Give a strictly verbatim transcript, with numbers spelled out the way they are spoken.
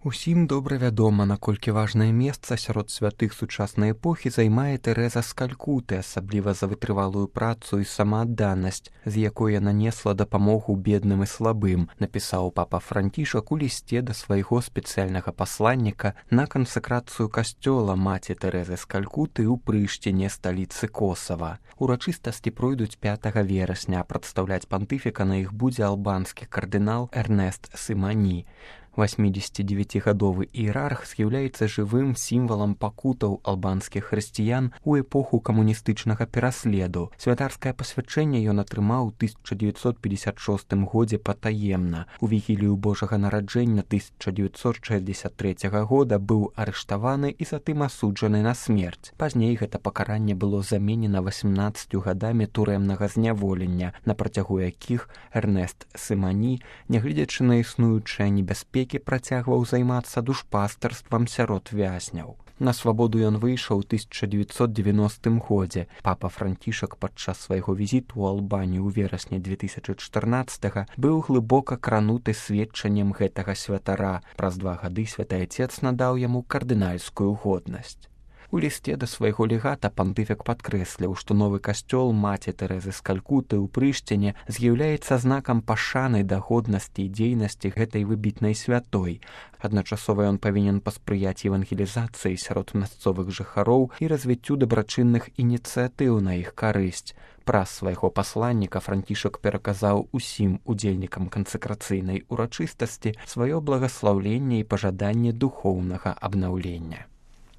Усім добра вядома, наколькі важнае месца сярод святых сучаснай эпохі займае Тэрэза з Калькуты, асабліва за вытрывалую працу і самаадданасць, з якой яна несла дапамогу бедным і слабым, напісаў папа Францішак у лісце да свайго спецыяльнага пасланніка на кансакрацыю касцёла маці Тэрэзы з Калькуты ў Прыштіне, сталіцы Косава. Урачыстасці пройдуць пятага верасня, а прадстаўляць пантыфіка на іх будзе албанскі кардынал Эрнест Сымані. восьмідзесяцідзевяцігадовы іерарх з'яўляецца жывым сімвалам пакутаў албанскіх хрысціян у эпоху камуністычнага пераследу. Святарскае пасвячэнне ён атрымаў у тысяча дзевяцьсот пятьдесят шостым годзе патаемна. У вігілію Божага нараджэння тысяча дзевяцьсот шэсцьдзесят трэцяга года быў арыштаваны і затым асуджаны на смерць. Пазней гэта пакаранне было заменена васямнаццаццю гадамі турэмнага зняволення, на працягу якіх Эрнест Сымані, нягледзячы на існуючыя небяспекі, працягваў займацца душпастарствам сярод вязняў. На свабоду ён выйшаў у тысяча дзевяцьсот дзевяностым годзе. Папа Францішак падчас свайго візіту ў Албанію ў верасні две тысячы чатырнаццатага быў глыбока крануты сведчаннем гэтага святара. Праз два гады святы айцец надаў яму кардынальскую годнасць. У лісце да свайго легата пантыфік падкрэсліў, што новы касцёл маці Тэрэзы з Калькуты ў Прыштіне з'яўляецца знакам пашаны да годнасці і дзейнасці гэтай выбітнай святой. Адначасова ён павінен паспрыяць евангелізацыі сярод мясцовых жыхароў і развіццю дабрачынных ініцыятыў на іх карысць. Праз свайго пасланніка Францішак пераказаў усім удзельнікам кансакрацыйнай урачыстасці сваё благаслаўленне і пажаданне духоўнага абнаўлення.